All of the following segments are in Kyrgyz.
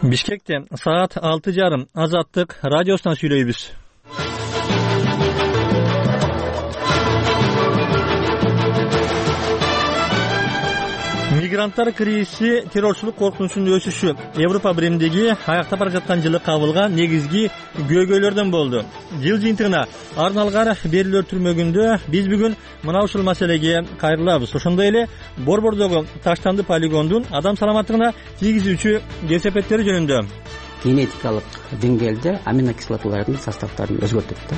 Бишкекте саат 6:30 Азаттык радиосунан сүйлөйбүз. Мигранттар кризиси, террорчулук коркунучунун өсүшү Европа биримдиги аяктап бара жаткан жылы кабылган негизги көйгөйлөрдөн болду. Жыл жыйынтыгына арналган берүүлөр түрмөгүндө биз бүгүн мына ушул маселеге кайрылабыз. Ошондой эле Борбордогу таштанды полигондун адам саламаттыгына тийгизүүчү кесепеттери жөнүндө. Генетикалык деңгээлде аминокислоталардын составдарын өзгөртөт да.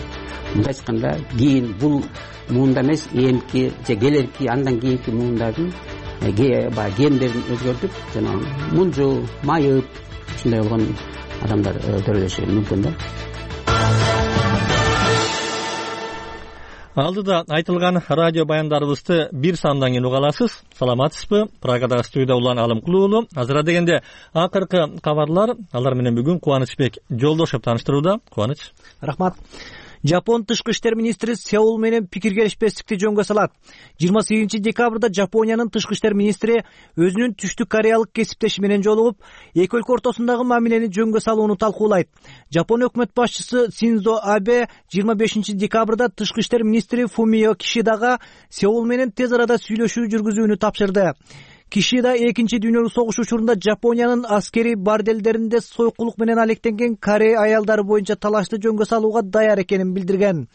Мындай айтканда, кийин бул муунда эмес, эмки же келерки андан кийинки муундардын гендерин өзгөртүп, жана мунжу, майып, ушундай болгон адамдар төрөлүшү мүмкүн да. Алдыда айтылган радио баяндарыбызды бир сандан кийин уга аласыз. Саламатсызбы? Прагадагы студияда улан Алымкул уулу. Азыр дегенде акыркы кабарлар, алар менен бүгүн Кубанычбек Жолдошев тааныштырууда. Кубаныч. Рахмат. Жапон тышкы иштер министри Сеул менен пикир келишпестикти жөнгө салат. 28 декабрда Жапониянын тышкы иштер министри өзүнүн түштүк кореялык кесиптеши менен жолугуп, эки өлкө ортосундагы мамилени жөнгө салууну талкуулайт. Жапон өкмөт башчысы Синдзо Абе 25 декабрда тышкы иштер министри Фумио Кишидага Сеул менен тез арада сүйлөшүү жүргүзүүнү тапшырды. Кишида экинчи дүйнөлүк согуш учурунда Жапониянын аскери борделдеринде сойкулук менен алектенген Корея аялдары боюнча талашты жөнгө салууга даяр экенин билдирген.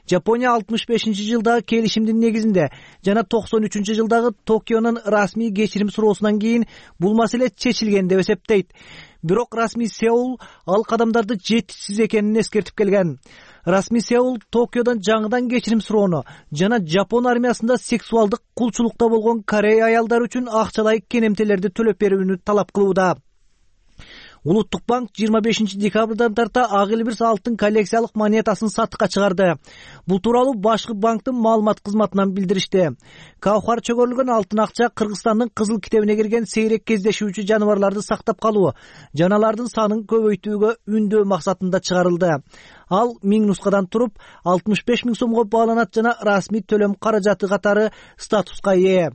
Жапония 65-жылдагы келишимдин негизинде жана 93-жылдагы Токионун расмий кечирим суроосунан кийин бул маселе чечилген деп эсептейт. Бирок расмий Сеул ал кадамдарды жетишсиз экенин эскертип келген. Расмий Сеул Токиодон жаңыдан кечирим суроону жана Жапон армиясында сексуалдык кулчулукта болгон Корея аялдары үчүн акчалай кенемтелерди төлөп берүүнү талап кылууда. Улуттук банк 25 декабрдан тарта ак элбирс алтын коллекциялык монетасын сатыкка чыгарды. Бул тууралуу башкы банктын маалымат кызматынан билдиришти. Каухар чөгөрүлгөн алтын акча Кыргызстандын кызыл китебине кирген сейрек кездешүүчү жаныбарларды сактап калуу, жаналардын санын көбөйтүүгө үндөө максатында чыгарылды. Ал 1000 нускадан туруп 65 000 сомго бааланат жана расмий төлөм каражаты катары статуска ээ.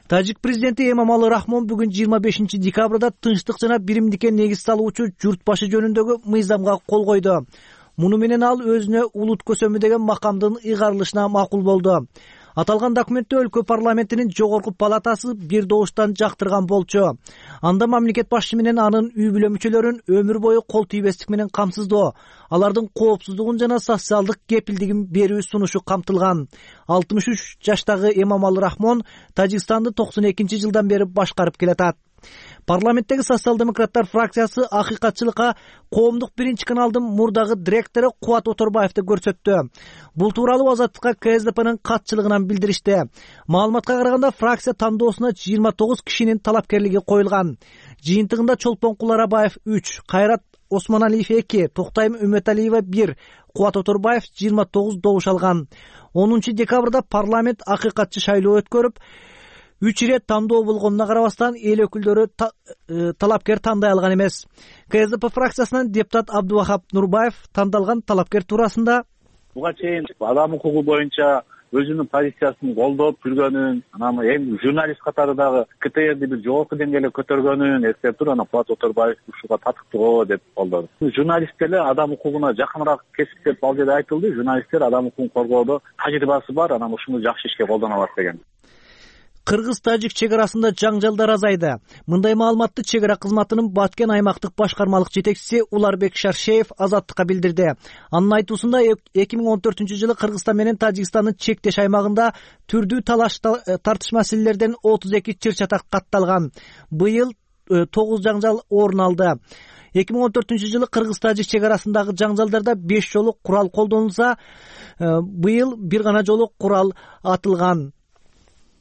Тажик президенти Эмомали Рахмон бүгүн 25 декабрда тынчтык жана биримдикке негиз салуучу журт башы жөнүндөгү мыйзамга кол койду. Муну менен ал өзүнө улут көсөмү деген макамдын ыйгарылышына макул болду. Аталган документте өлкө парламентинин жогорку палатасы бир добуштан жактырган болчу. Анда мамлекет башчысы менен анын үй бүлө мүчөлөрүн өмүр бою кол тийбестик менен камсыздоо, алардын коопсуздугун жана социалдык кепилдигин берүү сунушу камтылган. 63 жаштагы Эмомали Рахмон Тажикстанды 92-жылдан бери башкарып келатат. Парламенттеги социал-демократтар фракциясы акыйкатчылыкка коомдук биринчи каналдын мурдагы директору Кубат Оторбаевди көрсөттү. Бул тууралуу Азаттыкка КСДПнын катчылыгынан билдиришти. Маалыматка караганда фракция тандоосуна 29 кишинин талапкерлиги коюлган. Жыйынтыгында Чолпон Куларабаев 3, Кайрат Осмоналиев 2, Токтайым Үмөталиева 1, Кубат Оторбаев 29 добуш алган. 10 декабрда парламент акыйкатчы шайлоо өткөрүп, 3 ирет тандоо болгонуна карабастан эл өкүлдөрү талапкер тандай алган эмес. КСДП фракциясынан депутат Абдувахап Нурбаев тандалган талапкер туурасында буга чейин адам укугу боюнча өзүнүн позициясын колдоп жүргөнүн, анан эми журналист катары дагы КТРди бир жогорку деңгээлге көтөргөнүн эскертип туруп, анан Кубат Оторбаев ушуга татыктуу деп колдоду. Журналисттер эле адам укугуна жакыныраак кесип деп ал жерде айтылды. Журналисттер адам укугун коргоодо тажрыйбасы бар, анан ушуну жакшы ишке колдоно алат деген. Кыргыз-Тажик чек арасында жаңжалдар азайды. Мындай маалыматты чек ара кызматынын Баткен аймактык башкармалык жетекчиси Уларбек Шаршеев Азаттыкка билдирди. Анын айтуусунда 2014-жылы Кыргызстан менен Тажикстандын чектеш аймагында түрдүү талаш тартыш маселелерден 32 чыр-чатак катталган. Быйыл 9 жаңжал орун алды. 2014-жылы Кыргыз-Тажик чек арасындагы жаңжалдарда 5 жолу курал колдонулса, быйыл бир гана жолу курал атылган.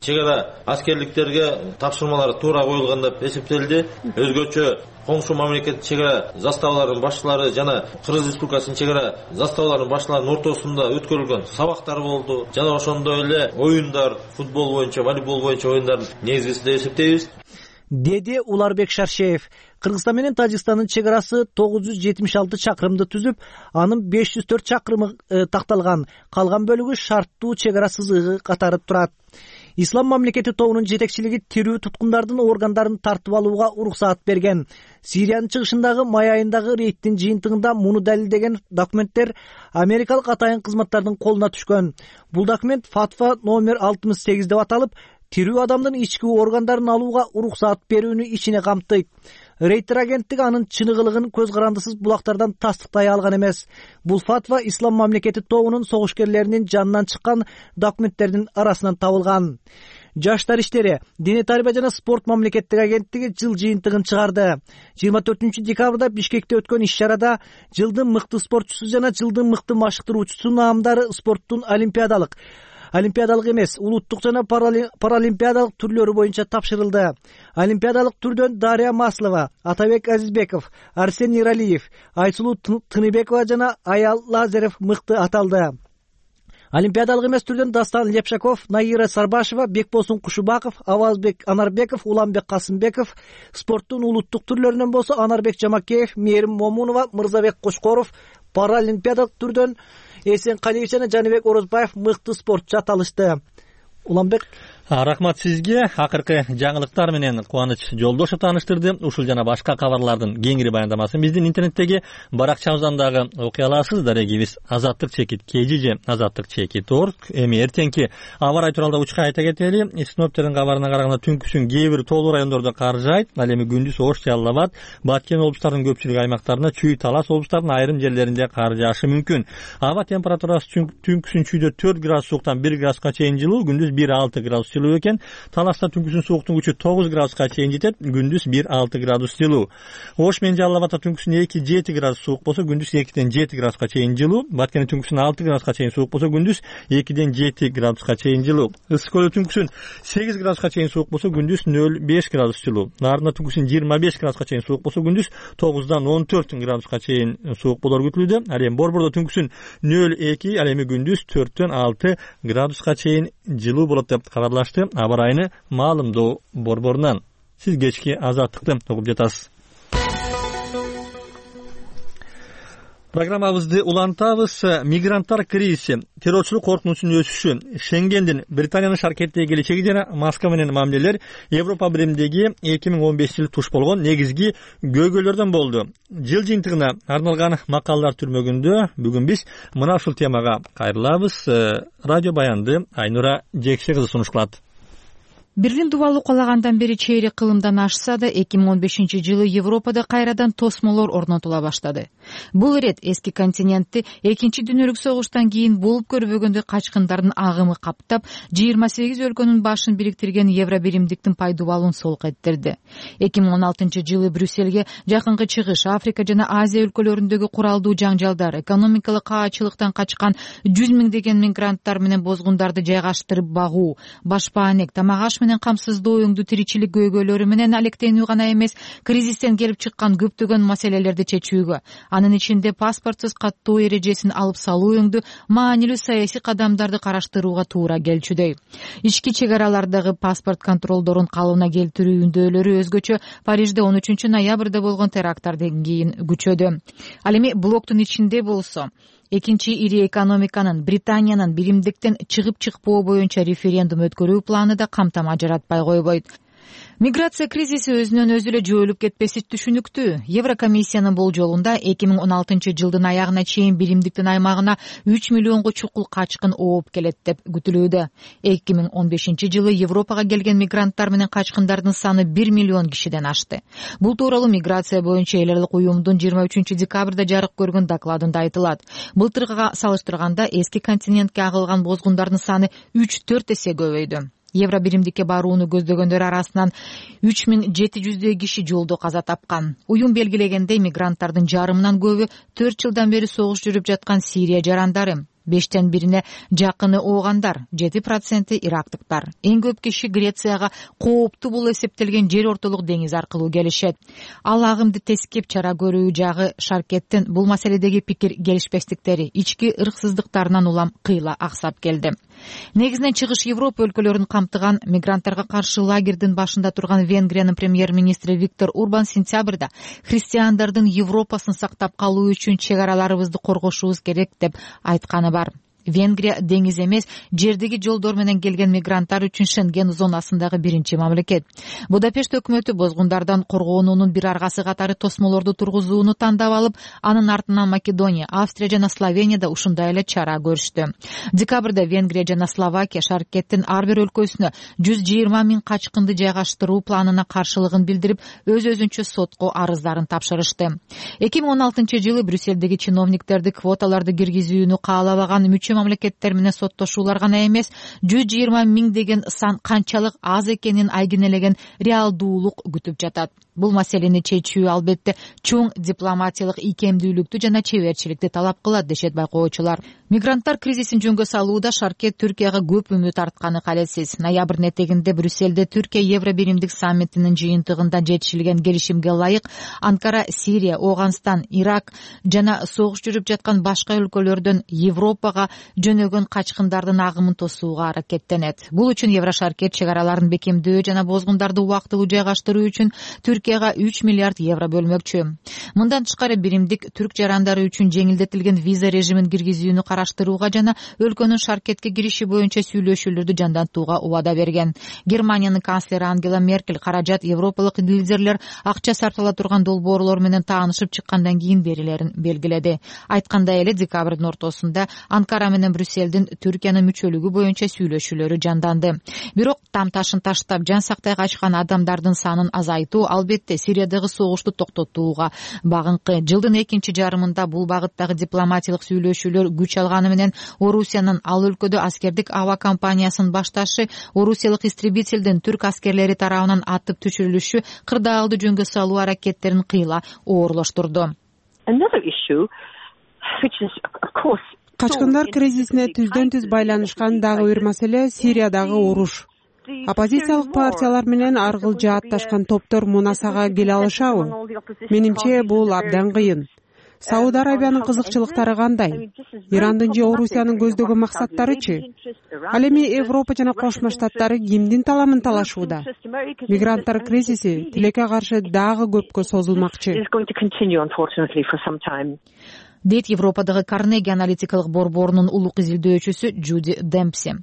Чек ара аскерликтерге тапшырмалар туура коюлган деп эсептелди. Өзгөчө коңшу мамлекет чек ара заставаларынын башчылары жана Кыргыз Республикасынын чек ара заставаларынын башчыларынын ортосунда өткөрүлгөн сабактар болду. Жана ошондой эле оюндар, футбол боюнча, волейбол боюнча оюндар негизгиси деп эсептейбиз, деди Уларбек Шаршеев. Кыргызстан менен Тажикстандын чек арасы 976 чакырымды түзүп, анын 504 чакырымы такталган. Калган бөлүгү шарттуу чек ара сызыгы катары турат. Ислам мамлекети тобунун жетекчилиги тирүү туткундардын органдарын тартып алууга уруксаат берген. Сириянын чыгышындагы май айындагы рейдтин жыйынтыгында муну далилдеген документтер америкалык атайын кызматтардын колуна түшкөн. Бул документ фатва номер 68 деп аталып, тирүү адамдын ички органдарын алууга уруксаат берүүнү ичине камтыйт. Рейтер агенттиги анын чыныгылыгын көз карандысыз булактардан тастыктай алган эмес. Бул фатва Ислам мамлекети тобунун согушкерлеринин жанынан чыккан документтердин арасынан табылган. Жаштар иштери, диний тарбия жана спорт мамлекеттик агенттиги жыл жыйынтыгын чыгарды. 24 декабрда Бишкекте өткөн иш-чарада жылдын мыкты спортчусу жана жылдын мыкты машыктыруучусу наамдары спорттун олимпиадалык эмес, улуттук жана паралимпиадалык түрлөрү боюнча тапшырылды. Олимпиадалык түрдөн Дарья Маслова, Атабек Азизбеков, Арсен Иралиев, Айсулуу Тыныбекова жана Аял Лазарев мыкты аталды. Олимпиадалык эмес түрдөн Дастан Лепшаков, Наира Сарбашева, Бекбосун Кушубаков, Авазбек Анарбеков, Уланбек Касымбеков, спорттун улуттук түрлөрүнөн болсо Анарбек Жамакеев, Мээрим Момунова, Мырзабек Кошкоров, паралимпиадалык түрдөн Эсен Калиевич жана Жаныбек Орозбаев мыкты спортчу аталышты. Уланбек, рахмат сизге. Акыркы жаңылыктар менен Кубаныч Жолдошев тааныштырды. Ушул жана башка кабарлардын кеңири баяндамасын биздин интернеттеги баракчабыздан дагы окуй аласыздар. Эгибиз Азаттык чекит KGJ Азаттык чекит org. Эми эртеңки аба ырайы тууралуу учка айта кетели. Синоптиктердин кабарына караганда түнкүсүн кээ бир тоолуу райондордо кар жаайт. Ал эми күндүз Ош, Жалал Абад, Баткен облустарынын көпчүлүк аймактарына, Чүй, Талас облустарынын айрым жерлеринде кар жаашы мүмкүн. Аба температурасы түнкүсүн Чүйдө 4 градус сууктан 1 градуска чейин жылуу, күндүз 1-6 градус жылуу экен. Таласта түнкүсүн сууктун күчү 9 градуска чейин жетет, күндүз 1-6 градус жылуу. Ош менен Жалал Абадта түнкүсүн 2-7 градус суук болсо, күндүз 2-7 градуска чейин жылуу. Баткенде түнкүсүн 6 градуска чейин суук болсо, күндүз 2-7 градуска чейин жылуу. Ысык көлдө түнкүсүн 8 градуска чейин суук болсо, күндүз 0-5 градус жылуу. Нарында түнкүсүн 25 градуска чейин суук болсо, күндүз 9-14 градуска чейин суук болор күтүлүүдө. Ал эми Борбордо түнкүсүн 0-2, ал эми күндүз 4-6 градуска чейин жылуу болот деп кабарлашты аба ырайыны маалымдоо борборунан. Сиз кечки Азаттыкты угуп жатасыз. Программабызды улантабыз. Мигранттар кризиси, террорчулук коркунучунун өсүшү, Шенгендин Британиянын шаркеттеги келечеги жана Москва менен мамилелер Европа биримдиги 2015-жылы туш болгон негизги көйгөйлөрдөн болду. Жыл жыйынтыгына арналган макалалар түрмөгүндө бүгүн биз мына ушул темага кайрылабыз. Радио баянды Айнура Жекше кызы сунуш кылат. Берлин дубалы кулагандан бери чейрек кылымдан ашса да 2015-жылы Европада кайрадан тосмолор орнотула баштады. Бул ирет эски континентти экинчи дүйнөлүк согуштан кийин болуп көрбөгөндөй качкындардын агымы каптап, 28 өлкөнүн башын бириктирген евро биримдиктин пайдубалын солк эттирди. 2016-жылы Брюссельге жакынкы чыгыш, Африка жана Азия өлкөлөрүндөгү куралдуу жаңжалдар, экономикалык каачылыктан качкан 100 миңдеген мигранттар менен бозгундарды жайгаштырып багуу, башпаанек, тамак-аш менен камсыздоо өңдүү тиричилик көйгөйлөрү менен алектенүү гана эмес, кризистен келип чыккан көптөгөн маселелерди чечүүгө, анын ичинде паспортсуз каттоо эрежесин алып салуу өңдүү маанилүү саясий кадамдарды караштырууга туура келчүдөй. Ички чек аралардагы паспорт контролдорун калыбына келтирүү үндөөлөрү өзгөчө Парижде 13 ноябрда болгон теракттардан кийин күчөдү. Ал эми блоктун ичинде болсо экинчи ири экономиканын Британиянын биримдиктен чыгып чыкпоо боюнча референдум өткөрүү планы да камтама жаратпай койбойт. Миграция кризиси өзүнөн өзү эле жойулуп кетпеси түшүнүктүү. Еврокомиссиянын болжолунда 2016-жылдын аягына чейин биримдиктин аймагына 3 миллионго чукул качкын ооп келет деп күтүлүүдө. 2015-жылы Европага келген мигранттар менен качкындардын саны 1 миллион кишиден ашты. Бул тууралуу миграция боюнча эл аралык уюмдун 23 декабрда жарык көргөн докладында айтылат. Былтыркыга салыштырганда эски континентке агылган бозгундардын саны 3-4 эсе көбөйдү. Евро биримдикке барууну көздөгөндөр арасынан 3700 киши жолдо каза тапкан. Уюм белгилегендей, мигранттардын жарымынан көбү 4 жылдан бери согуш жүрүп жаткан Сирия жарандары. 5тен бирине жакыны оогандар, 7% ирактыктар. Эң көп киши Грецияга кооптуу бул эсептелген жер ортолук деңиз аркылуу келишет. Ал агымды тескеп чара көрүү жагы шаркеттин бул маселедеги пикир келишпестиктери, ички ырксыздыктарынан улам кыйла аксап келди. Негизинен чыгыш Европа өлкөлөрүн камтыган мигранттарга каршы лагердин башында турган Венгриянын премьер-министри Виктор Урбан сентябрда христиандардын Европасын сактап калуу үчүн чек араларыбызды коргошубуз керек деп айтканы бар. Венгрия деңиз эмес, жердеги жолдор менен келген мигранттар үчүн Шенген зонасындагы биринчи мамлекет. Будапешт өкмөтү бозгундардан коргоонуунун бир аргасы катары тосмолорду тургузууну тандап алып, анын артынан Македония, Австрия жана Словенияда ушундай эле чара көрүштү. Декабрда Венгрия жана Словакия Шаркеттин ар бир өлкөсүнө 120 000 качкынды жайгаштыруу планына каршылыгын билдирип, өз-өзүнчө сотко арыздарын тапшырышты. 2016-жылы Брюссельдеги чиновниктерди квоталарды киргизүүнү каалабаган мүчө мамлекеттер менен соттошуулар гана эмес, 120 000 деген сан канчалык аз экенин айгинелеген реалдуулук күтүп жатат. Бул маселени чечүү албетте чоң дипломатиялык ийкемдүүлүктү жана чеберчиликти талап кылат, дешет байкоочулар. Мигранттар кризисин жөнгө салууда Шаркет Түркияга көп үмүт артканы калесиз. Ноябрдын этегинде Брюссельде Түркия Евробиримдик саммитинин жыйынтыгында жетишилген келишимге ылайык Анкара Сирия, Ооганстан, Ирак жана согуш жүрүп жаткан башка өлкөлөрдөн Европага жөнөгөн качкындардын агымын тосууга аракеттенет. Бул үчүн Еврошаркет чек араларын бекемдөө жана бозгундарды убактылуу жайгаштыруу үчүн Түркияга 3 миллиард евро бөлмөкчү. Мындан тышкары биримдик түрк жарандары үчүн жеңилдетилген виза режимин киргизүүнү караштырууга жана өлкөнүн Шаркетке кириши боюнча сүйлөшүүлөрдү жандантууга убада берген. Германиянын канцлери Ангела Меркель каражат европалык лидерлер акча сарптала турган долбоорлор менен таанышып чыккандан кийин берилерин белгиледи. Айткандай эле декабрдын ортосунда Анкара менен Брюссельдин Түркиянын мүчөлүгү боюнча сүйлөшүүлөрү жанданды. Бирок там ташын таштап жан сактай качкан адамдардын санын азайтуу албетте Сириядагы согушту токтотууга багынкы. Жылдын экинчи жарымында бул багыттагы дипломатиялык сүйлөшүүлөр күч алганы менен Орусиянын ал өлкөдө аскердик аба компаниясынын башташы Орусиялык истребительдин түрк аскерлери тарабынан атып түшүрүлүшү кырдаалды жөнгө салуу аракеттерин кыйла оорлоштурду. Качкындар кризисине түздөн түз байланышкан дагы бир маселе Сириядагы уруш. Оппозициялык партиялар менен аргыл жаатташкан топтор мунасага келе алышабы? Менимче бул абдан кыйын. Сауд Арабиянын кызыкчылыктары кандай? Ирандын же Орусиянын көздөгөн максаттарычы? Ал эми Европа жана Кошмо Штаттары кимдин таламын талашууда? Мигранттар кризиси тилекке каршы дагы көпкө созулмакчы. Дейт Европадагы Карнеги аналитикалык борборунун улук изилдөөчүсү Джуди Демпси.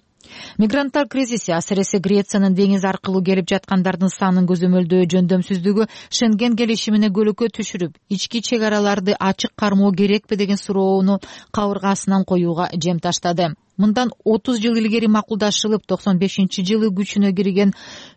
Мигранттар кризиси асыресе Грециянын деңиз аркылуу келип жаткандардын санын көзөмөлдөө жөндөмсүздүгү Шенген келишимине көлөкө түшүрүп, ички чек араларды ачык кармоо керекпи деген суроону кабыргасынан коюуга жем таштады. Мындан 30 жыл илгери макулдашылып 95-жылы күчүнө кирген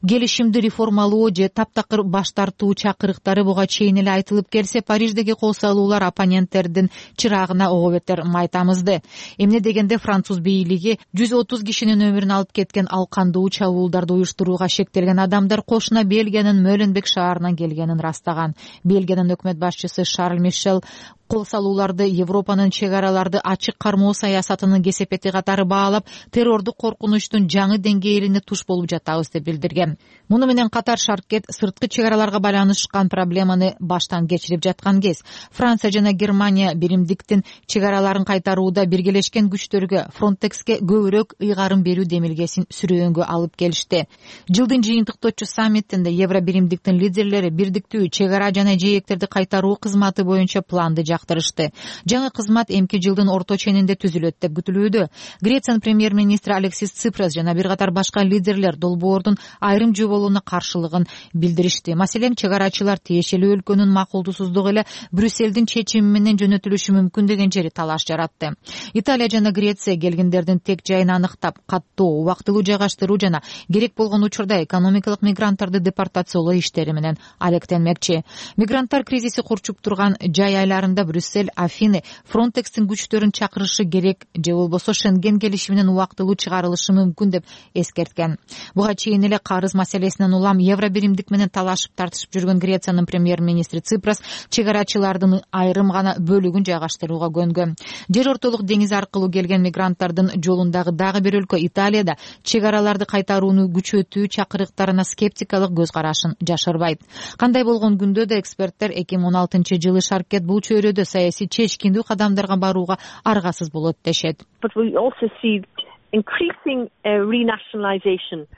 келишимди реформалоо же таптакыр баш тартуу чакырыктары буга чейин эле айтылып келсе, Париждеги кол салуулар оппоненттердин чырагына ого бетер май тамызды. Эмне дегенде француз бийлиги 130 кишинин өмүрүн алып кеткен ал кандуу чабуулдарды уюштурууга шектелген адамдар кошуна Бельгиянын Мөленбек шаарынан келгенин растаган. Бельгиянын өкмөт башчысы Шарль Мишел кол салууларды Европанын чек араларды ачык кармоо саясатынын кесепети катары баалап, террордук коркунучтун жаңы деңгээлине туш болуп жатабыз деп билдирген. Муну менен катар Шаркет сырткы чек араларга байланышкан проблеманы баштан кечирип жаткан кез. Франция жана Германия биримдиктин чек араларын кайтарууда биргелешкен күчтөргө Фронтекске көбүрөөк ыйгарын берүү демилгесин сүрөөнгө алып келишти. Жылдын жыйынтыктоочу саммитинде Евробиримдиктин лидерлери бирдиктүү чек ара жана жээктерди кайтаруу кызматы боюнча планды жактырышты. Жаңы кызмат эмки жылдын орто ченинде түзүлөт деп күтүлүүдө. Грециянын премьер-министри Алексис Ципрас жана бир катар башка лидерлер долбоордун айрым жоболууна каршылыгын билдиришти. Маселен, чек арачылар тиешелүү өлкөнүн макулдуусуздугу эле Брюссельдин чечими менен жөнөтүлүшү мүмкүн деген жери талаш жаратты. Италия жана Греция келгиндердин тек жайын аныктап, каттоо, убактылуу жайгаштыруу жана керек болгон учурда экономикалык мигранттарды депортациялоо иштери менен алектенмекчи. Мигранттар кризиси курчуп турган жай айларында Брюссель, Афины Фронтекстин күчтөрүн чакырышы керек же болбосо Шенген келишиминен убактылуу чыгарылышы мүмкүн деп эскерткен. Буга чейин эле карыз маселесинен улам Евробиримдик менен талашып тартышып жүргөн Грециянын премьер-министри Ципрас чек арачылардын айрым гана бөлүгүн жайгаштырууга көнгөн. Жер ортолук деңиз аркылуу келген мигранттардын жолундагы дагы бир өлкө Италияда чек араларды кайтарууну күчөтүү чакырыктарына скептикалык көз карашын жашырбайт. Кандай болгон күндө да эксперттер 2016-жылы Шаркет бул чөйрөдө саясий чечкиндүү кадамдарга барууга аргасыз болот дешет.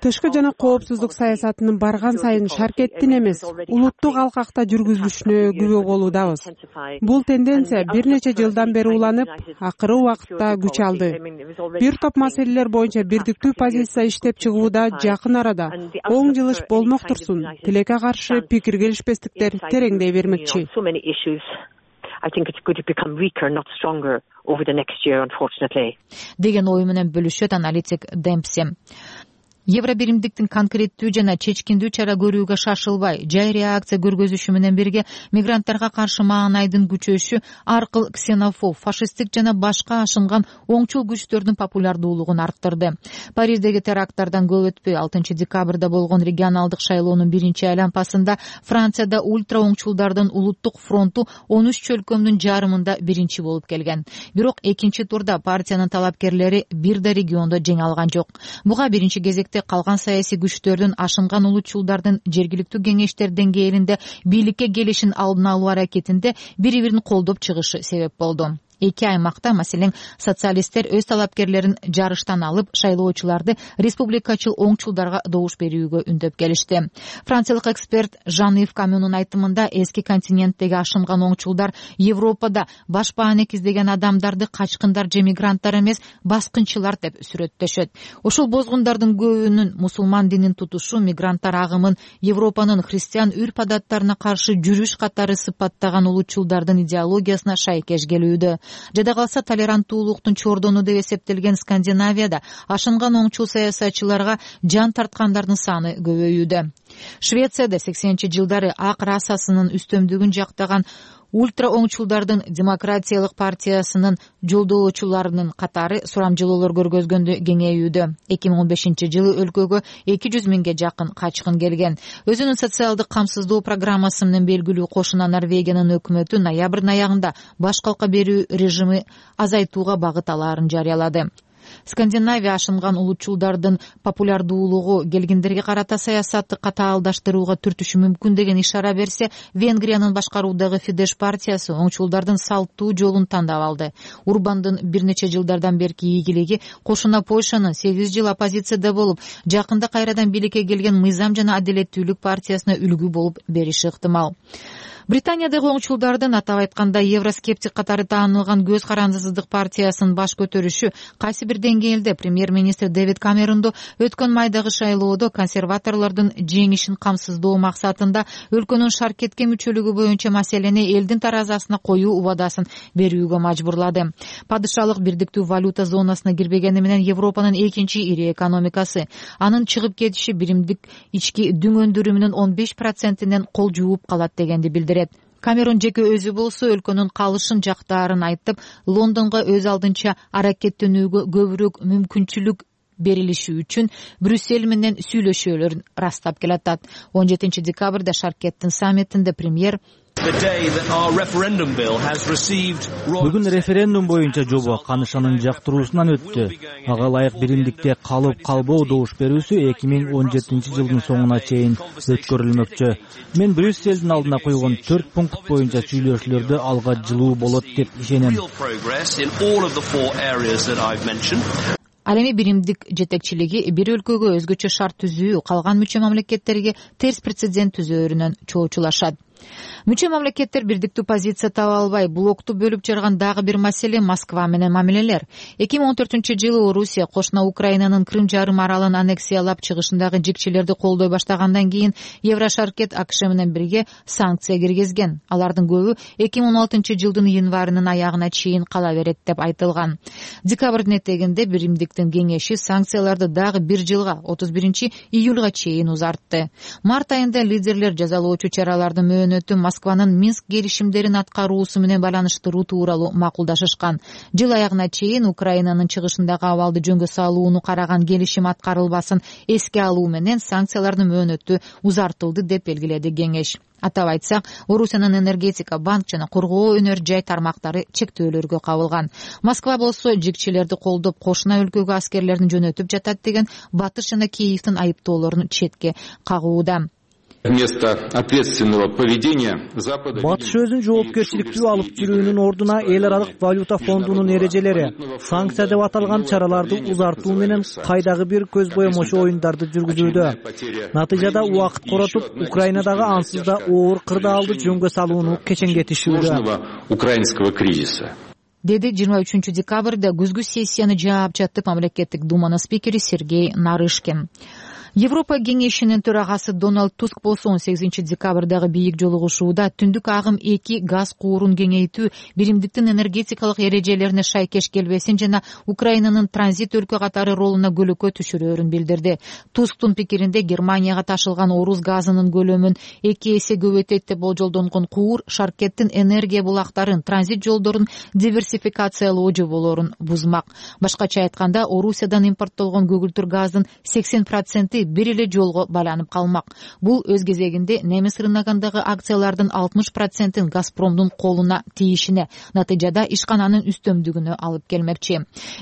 тышкы жана коопсуздук саясатынын барган сайын шаркеттин эмес, улуттук алкакта жүргүзүлүшүнө күбө болуудабыз. Бул тенденция бир нече жылдан бери уланып, акыры убакытта күч алды. Бир топ маселелер боюнча бирдиктүү позиция иштеп чыгууда жакын арада оң жылыш болмок турсун, тилекке каршы пикир келишпестиктер тереңдей бермекчи. Деген ою менен бөлүшөт аналитик Демпси. Евро биримдиктин конкреттүү жана чечкиндүү чара көрүүгө шашылбай, жай реакция көргөзүшү менен бирге мигранттарга каршы маанайдын күчөшү аркыл ксенофоб, фашисттик жана башка ашынган оңчул күчтөрдүн популярдуулугун арттырды. Париждеги теракттардан көп өтпөй 6 декабрда болгон регионалдык шайлоонун биринчи айлампасында Францияда ультра оңчулдардын улуттук фронту 13 чөлкөмдүн жарымында биринчи болуп келген. Бирок экинчи турда партиянын талапкерлери бир да региондо жеңе алган жок. Буга биринчи кезекте калган саясий күчтөрдүн ашынган улутчулдардын жергиликтүү кеңештер деңгээлинде бийликке келишин алдын алуу аракетинде бири-бирин колдоп чыгышы себеп болду. Эки аймакта, маселен, социалисттер өз талапкерлерин жарыштан алып, шайлоочуларды республикачыл оңчулдарга добуш берүүгө үндөп келишти. Франциялык эксперт Жан-Ив Камюнун айтымында эски континенттеги ашынган оңчулдар Европада баш бааник издеген адамдарды качкындар же мигранттар эмес, баскынчылар деп сүрөттөшөт. Ошол бозгундардын көбүнүн мусулман динин тутушу мигранттар агымын Европанын христиан үрп-адаттарына каршы жүрүш катары сыпаттаган улутчулдардын идеологиясына шайкеш келүүдө. Жада калса толеранттуулуктун чордону деп эсептелген Скандинавияда ашынган оңчул саясатчыларга жан тарткандардын саны көбөйүүдө. Швецияда 80-жылдары ак расасынын үстөмдүгүн жактаган ультра оңчулдардын демократиялык партиясынын жолдоочуларынын катары сурамжылоолор көргөзгөндө кеңейүүдө. 2015-жылы өлкөгө 200 миңге жакын качкын келген. Өзүнүн социалдык камсыздоо программасы менен белгилүү кошуна Норвегиянын өкмөтү ноябрдын аягында баш калка берүү режими азайтууга багыт алаарын жарыялады. Скандинавия ашынган улутчулдардын популярдуулугу келгиндерге карата саясатты катаалдаштырууга түртүшү мүмкүн деген ишара берсе, Венгриянын башкаруудагы Фидеш партиясы оңчулдардын салттуу жолун тандап алды. Урбандын бир нече жылдардан берки ийгилиги кошуна Польшанын 8 жыл оппозицияда болуп, жакында кайрадан бийликке келген Мыйзам жана адилеттүүлүк партиясына үлгү болуп бериши ыктымал. Британиядагы оңчулдардын, атап айтканда, евроскептик катары таанылган Көз карандысыздык партиясынын баш көтөрүшү кайсы бир деңгээлде премьер-министр Дэвид Камеронду өткөн майдагы шайлоодо консерваторлордун жеңишин камсыздоо максатында өлкөнүн шаркетке мүчөлүгү боюнча маселени элдин таразасына коюу убадасын берүүгө мажбурлады. Падышалык бирдиктүү валюта зонасына кирбегени менен Европанын экинчи ири экономикасы, анын чыгып кетиши биримдик ички дүң өндүрүмүнүн 15%-нен кол жууп калат дегенди билдирет. Камерон жеке өзү болсо өлкөнүн калышын жактаарын айтып, Лондонго өз алдынча аракеттенүүгө көбүрөөк мүмкүнчүлүк берилиши үчүн Брюссель менен сүйлөшүүлөрүн растап келатат. 17 декабрда Шаркеттин саммитинде премьер Бүгүн референдум боюнча жобо канышанын жактыруусунан өттү. Ага ылайык биримдикте калып калбоо добуш берүүсү 2017 жылдын соңуна чейин өткөрүлмөкчү. Мен Брюссельдин алдына койгон 4 пункт боюнча сүйлөшүүлөрдө алга жылуу болот деп ишенем. Ал эми биримдик жетекчилиги бир өлкөгө өзгөчө шарт түзүү, калган мүчө мамлекеттерге терс прецедент түзөөрүнөн чоочулашат. Мүчө мамлекеттер бирдиктүү позиция таба албай, блокту бөлүп жарган дагы бир маселе Москва менен мамилелер. 2014-жылы Орусия кошуна Украинанын Крым жарым аралын аннексиялап чыгышындагы жикчелерди колдой баштагандан кийин Еврошаркет АКШ менен бирге санкция киргизген. Алардын көбү 2016-жылдын январынын аягына чейин кала берет деп айтылган. Декабрдын этегинде биримдиктин кеңеши санкцияларды дагы бир жылга 31-июлга чейин узартты. Март айында лидерлер жазалоочу чаралардын мөөнөтү Москванын Минск келишимдерин аткаруусу менен байланыштыруу тууралуу макулдашышкан. Жыл аягына чейин Украинанын чыгышындагы абалды жөнгө салууну караган келишим аткарылбасын эске алуу менен санкциялардын мөөнөтү узартылды деп белгиледи кеңеш. Атап айтсак, Орусиянын энергетика, банк жана коргоо өнөр жай тармактары чектөөлөргө кабылган. Москва болсо жикчелерди колдоп, кошуна өлкөгө аскерлерин жөнөтүп жатат деген Батыш жана Киевдин айыптоолорун четке кагууда. Вместо ответственного поведения Запада... Батыш өзүн жоопкерчиликтүү алып жүрүүнүн ордуна эл аралык валюта фондунун эрежелери, санкция деп аталган чараларды узартуу менен кайдагы бир көз боемочу оюндарды жүргүзүүдө. Натыйжада убакыт коротуп, Украинадагы ансыз да оор кырдаалды жөнгө салууну кечеңдетишүүдө. Украинского кризиса. Деди 23 декабрда күзгү сессияны жаап жатып мамлекеттик думанын спикери Сергей Нарышкин. Европа кеңешинин төрагасы Дональд Туск болсо 18 декабрдагы бийик жолугушууда түндүк агым 2 газ куурун кеңейтүү, биримдиктин энергетикалык эрежелерине шайкеш келбесин жана Украинанын транзит өлкө катары ролуна көлөкө түшүрөөрүн билдирди. Тусктун пикиринде Германияга ташылган орус газынын көлөмүн 2 эсе көбөйтөт деп болжолдонгон куур шаркеттин энергия булактарын, транзит жолдорун диверсификациялоо жоболорун бузмак. Башкача айтканда, Орусиядан импорттолгон көгүлтүр газдын 80% бир эле жолго байланып калмак. Бул өз кезегинде немис рыногундагы акциялардын 60%-ин Газпромдун колуна тийишине, натыйжада ишкананын үстөмдүгүнө алып келмекчи.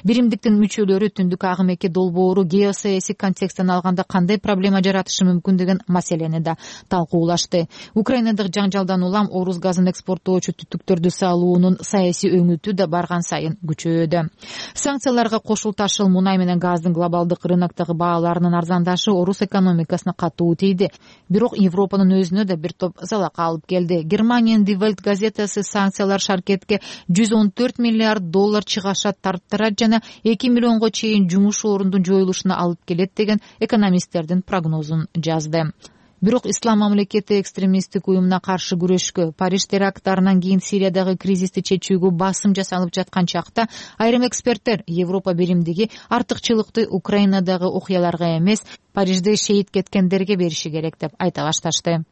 Биримдиктин мүчөлөрү түндүк агым 2 долбоору геосаясий контексттен алганда кандай проблема жаратышы мүмкүн деген маселени да талкуулашты. Украинадагы жаңжалдан улам орус газын экспорттоочу түтүктөрдү салуунун саясий өңүтү да барган сайын күчөйдү. Санкцияларга кошул ташыл мунай менен газдын глобалдык рыноктогу бааларынын арзандашы орус экономикасына катуу тийди. Бирок Европанын өзүнө да бир топ залак алып келди. Германиянын Die Welt газетасы санкциялар шаркетке 114 миллиард доллар чыгаша тарттырат жана 2 миллионго чейин жумуш орундун жоюлушуна алып келет деген экономисттердин прогнозун жазды. Бирок Ислам мамлекети экстремисттик уюмуна каршы күрөшкө, Париж теракттарынан кийин Сириядагы кризисти чечүүгө басым жасалып жаткан чакта айрым эксперттер Европа биримдиги артыкчылыкты Украинадагы окуяларга эмес, Парижде шейит кеткендерге бериши керек деп айта башташты.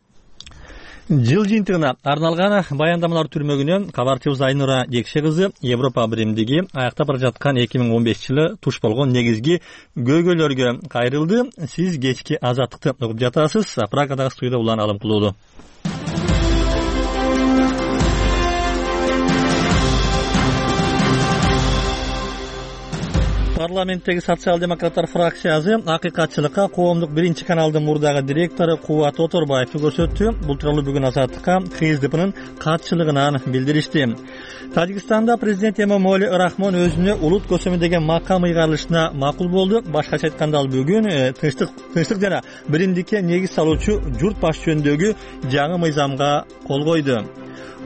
Жыл жыйынтыгына арналган баяндамалар түрмөгүнөн кабарчыбыз Айнура Жекше кызы Европа биримдиги аяктап бара жаткан 2015-жылы туш болгон негизги көйгөйлөргө кайрылды. Сиз кечки Азаттыкты угуп жатасыз. Прагадагы студияда улан алым кылуулу. Парламенттеги социал-демократтар фракциясы акыйкатчылыкка коомдук биринчи каналдын мурдагы директору Кубат Оторбаевди көрсөттү. Бул тууралуу бүгүн Азаттыкка ХСДПнын катчылыгынан билдиришти. Тажикстанда президент Эмомали Рахмон өзүнө улут көсөмү деген макам ыйгарылышына макул болду. Башкача айтканда ал бүгүн тынчтык жана биримдикке негиз салуучу журт баш жөнүндөгү жаңы мыйзамга кол койду.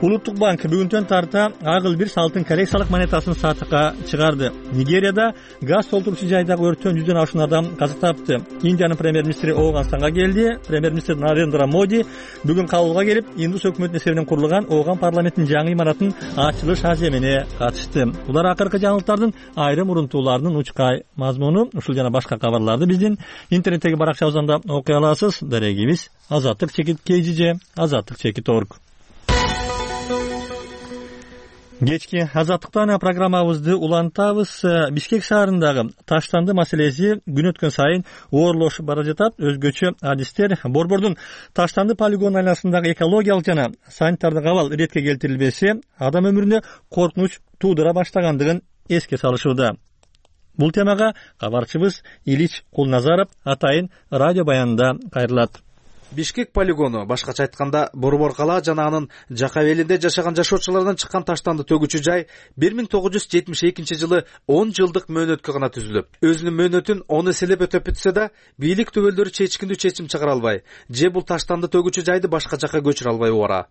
Улуттук банк бүгүнтөн тарта агыл бир салтын коррекциялык монетасын сатыкка чыгарды. Нигерияда газ толтурчу жайдагы өрттөн 100дөн ашуун адам каза тапты. Индиянын премьер-министри Ооганстанга келди. Премьер-министр Нарендра Моди бүгүн Кабулга келип, Индус өкмөтүнүн эсебинен курулган Ооган парламенттин жаңы имаратынын ачылыш аземине катышты. Булар акыркы жаңылыктардын айрым урунтууларынын учкай мазмуну. Ушул жана башка кабарларды биздин интернеттеги баракчабыздан окуй аласыз. Дарегибиз azatlik.kgj, azatlik.org. Кечки Азаттыктан программабызды улантабыз. Бишкек шаарындагы таштанды маселеси күн өткөн сайын оорлошуп бара жатат. Өзгөчө адистер Борбордун таштанды полигон айланасындагы экологиялык жана санитардык абал иретке келтирилбесе, адам өмүрүнө коркунуч туудура баштагандыгын эске салышууда. Бул темага кабарчыбыз Илич Кулназаров атайын радио баянында кайрылат. Бишкек полигону, башкача айтканда Борбор кала жана анын жака белинде жашаган жашоочулардан чыккан таштанды төгүүчү жай 1972-жылы 10 жылдык мөөнөткө гана түзүлүп, өзүнүн мөөнөтүн 10 эселеп өтөп бүтсө да, бийлик түгөлдөрү чечкиндүү чечим чыгара албай, же бул таштанды төгүүчү жайды башка жака көчүрө албай убара.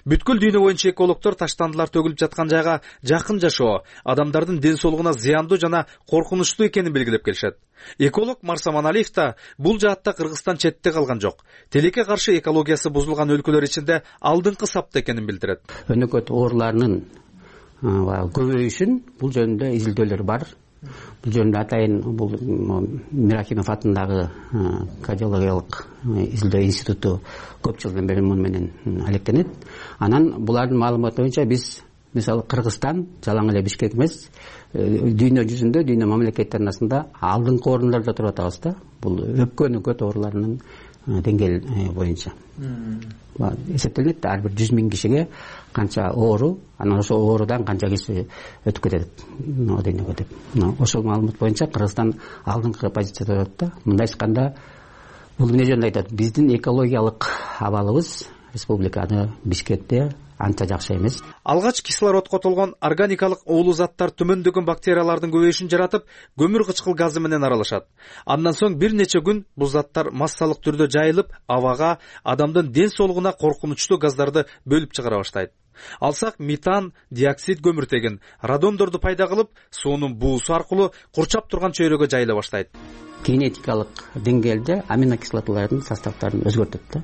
Бүткүл дүйнө боюнча экологдор таштандылар төгүлүп жаткан жайга жакын жашоо адамдардын ден соолугуна зыяндуу жана коркунучтуу экенин белгилеп келишет. Эколог Марса Маналиев да бул жаатта Кыргызстан четте калган жок. Телекке каршы экологиясы бузулган өлкөлөр ичинде алдыңкы сапта экенин билдирет. Өнөкөт оорларынын көбөйүшүн бул жөнүндө изилдөөлөр бар. Бул жөнүндө атайын бул Мирахимов атындагы кардиологиялык изилдөө институту көп жылдан бери муну менен алектенет. Анан булардын маалыматы боюнча биз мисалы Кыргызстан жалаң эле Бишкек эмес, дүйнө жүзүндө, дүйнө мамлекеттер арасында алдыңкы орундарда туруп атабыз да. Бул өпкөн оорларынын деңгээл боюнча. Эсептелет, ар бир 100.000 кишиге канча оору, анан ошол оорудан канча киши өтүп кетет, дүйнөгө деп. Ошол маалымат боюнча Кыргызстан алдыңкы позицияда турат да. Мындай айтканда, бул эмне жөнүндө айтат? Биздин экологиялык абалыбыз республикада Бишкекте анча жакшы эмес. Алгач кислородко толгон органикалык уулуу заттар төмөндөгөн бактериялардын көбөйүшүн жаратып, көмүр кычкыл газы менен аралашат. Андан соң бир нече күн бул заттар массалык түрдө жайылып, абага, адамдын ден соолугуна коркунучтуу газдарды бөлүп чыгара баштайт. Алсак метан, диоксид көмүртегин, радондорду пайда кылып, суунун буусу аркылуу курчап турган чөйрөгө жайыла баштайт. Генетикалык деңгээлде аминокислоталардын составдарын өзгөртөт да.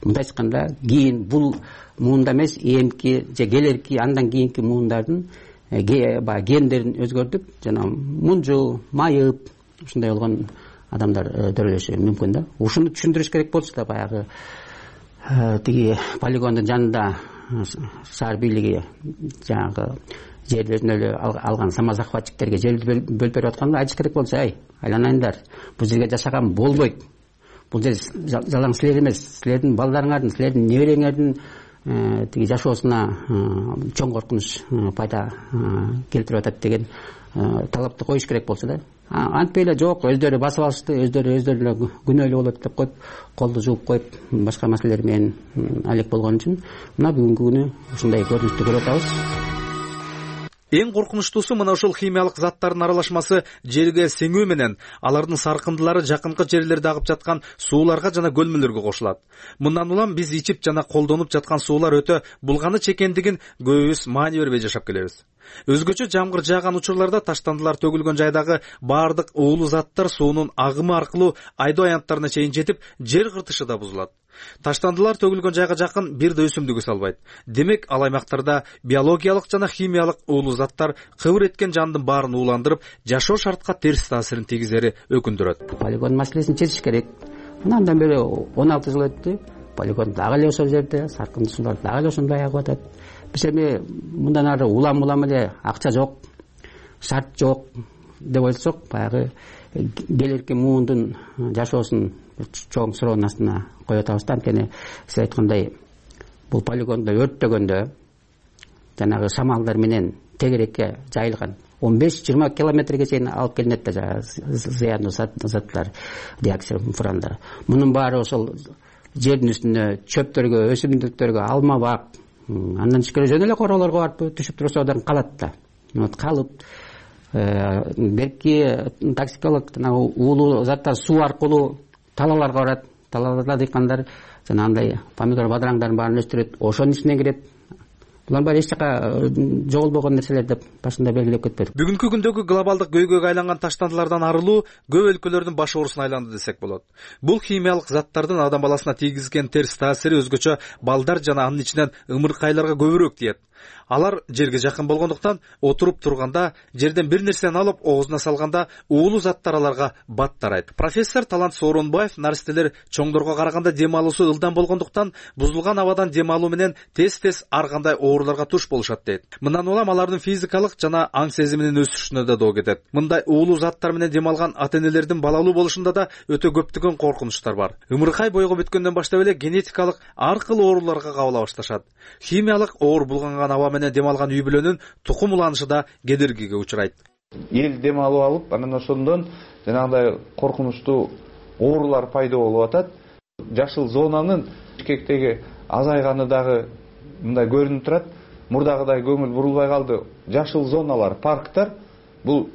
Мындай айтканда, кийин бул муунда эмес, эмки же келерки андан кийинки муундардын гендерин өзгөртүп, жана мунжу, майып, ушундай болгон адамдар төрөлүшү мүмкүн да. Ушуну түшүндүрүш керек болчу да, баягы тиги полигондун жанында шаар бийлиги жанагы жерлерин эле алган самозахватчиктерге жерди бөлүп берип атканда айтыш керек болчу: айланайындар, бул жерге жашаган болбойт. Бул жер жалаң силер эмес, силердин балдарыңардын, силердин небереңердин тиги жашоосуна чоң коркунуч пайда келтирип атат деген талапты коюш керек болчу да. Антпей эле жок, өздөрү басып алышты, өздөрү эле күнөөлүү болот деп коюп, колду жууп коюп, башка маселелер менен алек болгон үчүн мына бүгүнкү күнү ушундай көрүнүштү көрүп атабыз. Эң коркунучтуусу мына ушул химиялык заттардын аралашмасы жерге сеңүү менен алардын саркындылары жакынкы жерлерде агып жаткан сууларга жана көлмөлөргө кошулат. Мындан улам биз ичип жана колдонуп жаткан суулар өтө булганыч экендигин көбүбүз маани бербей жашап келебиз. Өзгөчө жамгыр жааган учурларда таштандылар төгүлгөн жайдагы баардык уулуу заттар суунун агымы аркылуу айдоо аянттарына чейин жетип, жер кыртышы да бузулат. Таштандылар төгүлгөн жайга жакын бир да өсүмдүк өсө албайт. Демек, ал аймактарда биологиялык жана химиялык уулуу заттар кыбыр эткен жандын баарын ууландырып, жашоо шартка терс таасирин тийгизери өкүндүрөт. Полигон маселесин чечиш керек. Андан бери 16 жыл өттү. Полигон дагы эле ошол жерде, саркынды суулар дагы эле ошондой агып атат. Биз эми мындан ары улам эле акча жок, шарт жок деп ойлосок, баягы келерки муундун жашоосун чоң суроонун астына коюп атабыз да. Анткени сиз айткандай, бул полигондо өрттөгөндө жанагы шамалдар менен тегерекке жайылган 15-20 километрге чейин алып келинет да зыяндуу заттар, диоксид, фурандар. Мунун баары ошол жердин үстүнө, чөптөргө, өсүмдүктөргө, алма бак, андан тышкары жөн эле короолорго барып түшүп турса одан калат да. Калып берки токсиколог жанагы уулуу заттар суу аркылуу талааларга барат. Талааларда дыйкандар жанагындай помидор, бадыраңдардын баарын өстүрөт, ошонун ичине кирет. Булар баары эч жака жоголбогон нерселер деп башында белгилеп кетпедик. Бүгүнкү күндөгү глобалдык көйгөйгө айланган таштандылардан арылуу көп өлкөлөрдүн баш оорусуна айланды десек болот. Бул химиялык заттардын адам баласына тийгизген терс таасири өзгөчө балдар жана анын ичинен ымыркайларга көбүрөөк тиет. Алар жерге жакын болгондуктан отуруп турганда, жерден бир нерсени алып оозуна салганда уулуу заттар аларга бат тарайт. Профессор Талант Сооронбаев наристелер чоңдорго караганда дем алуусу ылдам болгондуктан бузулган абадан дем алуу менен тез ар кандай ооруларга туш болушат дейт. Мындан улам алардын физикалык жана аң сезиминин өсүшүнө да доо кетет. Мындай уулуу заттар менен дем алган ата-энелердин балалуу болушунда да өтө көптөгөн коркунучтар бар. Ымыркай бойго бүткөндөн баштап эле генетикалык ар кыл ооруларга кабыла башташат. Химиялык оор булганган аба менен дем алган үй бүлөнүн тукум уланышы да кедергиге учурайт. Эл дем алып, анан ошондон жанагындай коркунучтуу оорулар пайда болуп атат. Жашыл зонанын Бишкектеги азайганы дагы мындай көрүнүп турат. Мурдагыдай көңүл бурулбай калды. Жашыл зоналар, парктар бул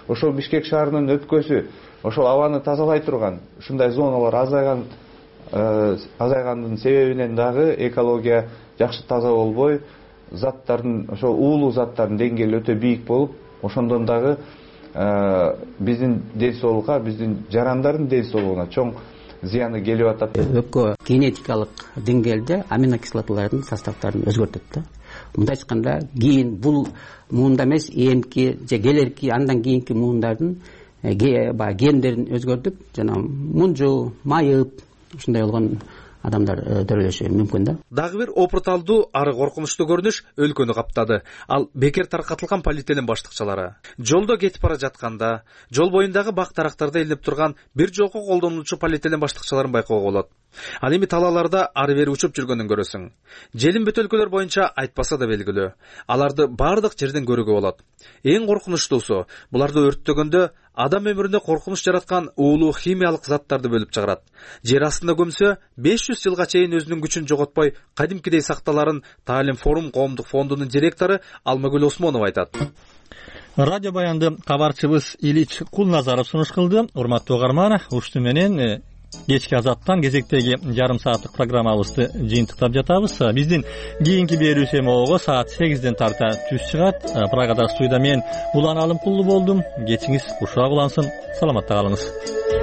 ошол Бишкек шаарынын өпкөсү, ошол абаны тазалай турган ушундай зоналар азайгандын себебинен дагы экология жакшы таза болбой, заттардын, ошол уулуу заттардын деңгээли өтө бийик болуп, ошондон дагы биздин ден соолукка, биздин жарандардын ден соолугуна чоң зыяны келип атат. Өпкө генетикалык деңгээлде аминокислоталардын составдарын өзгөртөт да. Мындай айтканда, кийин бул муунда эмес, эмки же келерки андан кийинки муундардын гендерин өзгөртүп, жана мунжу, майып, ушундай болгон адамдар төрөлүшү мүмкүн да. Дагы бир опурталдуу ары коркунучтуу көрүнүш өлкөнү каптады. Ал бекер таркатылган полиэтилен баштыкчалары. Жолдо кетип бара жатканда, жол боюндагы бак дарактарда илинип турган бир жолку колдонулчу полиэтилен баштыкчаларын байкоого болот. Ал эми талааларда ары бери учуп жүргөнүн көрөсүң. Желим бөт өлкөлөр боюнча айтпаса да белгилүү. Аларды бардык жерден көрүүгө болот. Эң коркунучтуусу, буларды өрттөгөндө адам өмүрүндө коркунуч жараткан уулуу химиялык заттарды бөлүп чыгарат. Жер астында көмсө 500 жылга чейин өзүнүн күчүн жоготпой кадимкидей сакталарын Таалим форум коомдук фондунун директору Алмагүл Осмонова айтат. Радио баянды кабарчыбыз Илич Кулназаров сунуш кылды. Урматтуу угарман, ушуну менен кечки Азаттан кезектеги жарым сааттык программабызды жыйынтыктап жатабыз. Биздин кийинки берүү семоого саат 8ден тарта түз чыгат. Прагада студияда мен Улан Алымкулду болдум. Кечиңиз ушак улансын. Саламатта калыңыз.